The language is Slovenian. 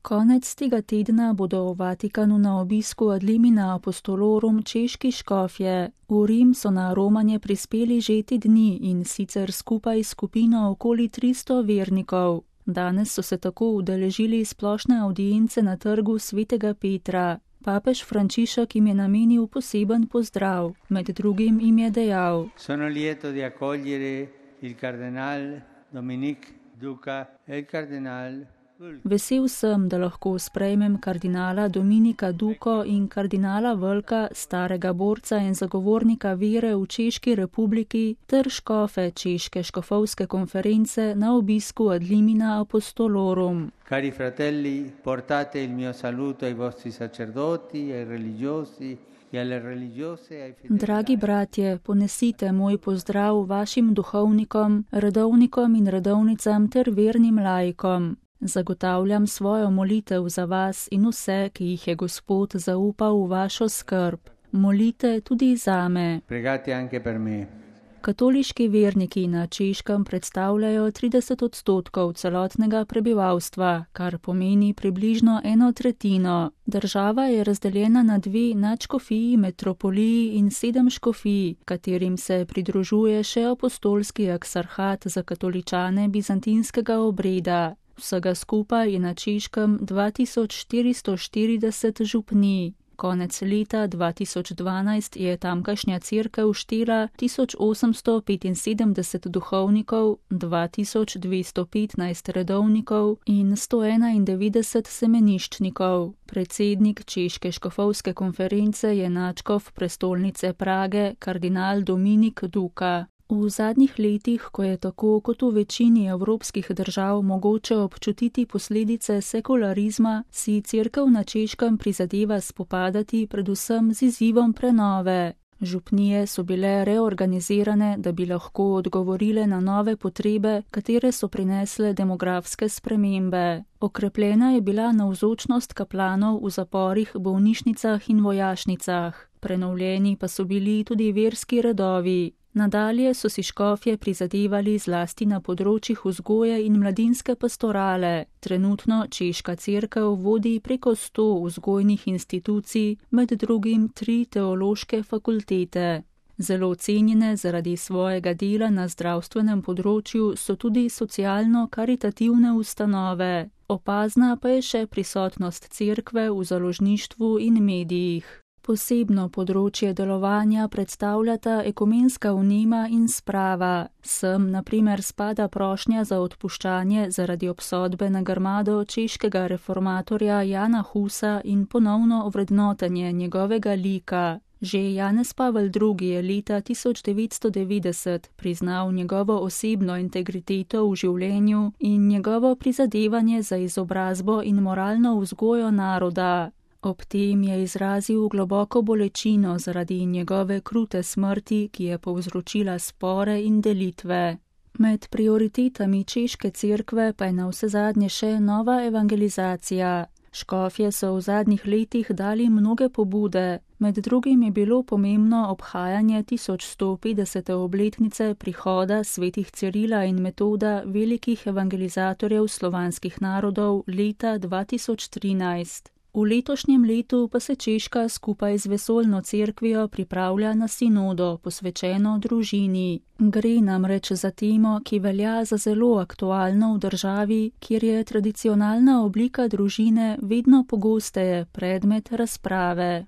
Konec tega tedna bodo v Vatikanu na obisku ad limina apostolorum češki škofje. V Rim so na romanje prispeli že te dni in sicer skupaj skupino okoli 300 vernikov. Danes so se tako udeležili splošne avdience na trgu svetega Petra. Papež Frančišek jim je namenil poseben pozdrav. Med drugim jim je dejal: Sono lieto di accogliere il kardinal Dominik Duka e il kardinal. Vesel sem, da lahko sprejmem kardinala Dominika Duko in kardinala Vlka, starega borca in zagovornika vere v Češki republiki, ter škofe Češke škofovske konference na obisku ad limina apostolorum. Cari fratelli, portate il mio saluto ai vostri sacerdoti, ai religiosi e alle religiose, ai fedeli. Dragi bratje, ponesite moj pozdrav vašim duhovnikom, redovnikom in redovnicam ter vernim laikom. Zagotavljam svojo molitev za vas in vse, ki jih je Gospod zaupal v vašo skrb. Molite tudi zame. Pregate anche per me. Katoliški verniki na Češkem predstavljajo 30% celotnega prebivalstva, kar pomeni približno 1/3. Država je razdeljena na 2 nadškofiji, metropoliji in 7 škofij, katerim se pridružuje še apostolski eksarhat za katoličane bizantinskega obreda. Vsega skupaj je na Češkem 2440 župnij. Konec leta 2012 je tamkajšnja cerkev štela 1875 duhovnikov, 2215 redovnikov in 191 semeniščnikov. Predsednik Češke škofovske konference je nadškof prestolnice Prage, kardinal Dominik Duka. V zadnjih letih, ko je tako kot v večini evropskih držav mogoče občutiti posledice sekularizma, si cerkev na Češkem prizadeva spopadati predvsem z izzivom prenove. Župnije so bile reorganizirane, da bi lahko odgovorile na nove potrebe, katere so prinesle demografske spremembe. Okrepljena je bila navzočnost kaplanov v zaporih, bolnišnicah in vojašnicah. Prenovljeni pa so bili tudi verski redovi. Nadalje so si škofje prizadevali zlasti na področjih vzgoje in mladinske pastorale. Trenutno Češka cerkev vodi preko 100 vzgojnih institucij, med drugim 3 teološke fakultete. Zelo cenjene zaradi svojega dela na zdravstvenem področju so tudi socialno-karitativne ustanove. Opazna pa je še prisotnost cerkve v založništvu in medijih. Posebno področje delovanja predstavljata ekumenska vnema in sprava. Sem na primer spada prošnja za odpuščanje zaradi obsodbe na grmado češkega reformatorja Jana Husa in ponovno ovrednotenje njegovega lika. Že Janez Pavel II. Je leta 1990 priznal njegovo osebno integriteto v življenju in njegovo prizadevanje za izobrazbo in moralno vzgojo naroda. Ob tem je izrazil globoko bolečino zaradi njegove krute smrti, ki je povzročila spore in delitve. Med prioritetami Češke cerkve pa je navsezadnje še nova evangelizacija. Škofje so v zadnjih letih dali mnoge pobude, med drugim je bilo pomembno obhajanje 1150. obletnice prihoda svetih Cirila in Metoda, velikih evangelizatorjev slovanskih narodov, leta 2013. V letošnjem letu pa se Češka skupaj z vesoljno cerkvijo pripravlja na sinodo, posvečeno družini. Gre namreč za temo, ki velja za zelo aktualno v državi, kjer je tradicionalna oblika družine vedno pogosteje predmet razprave.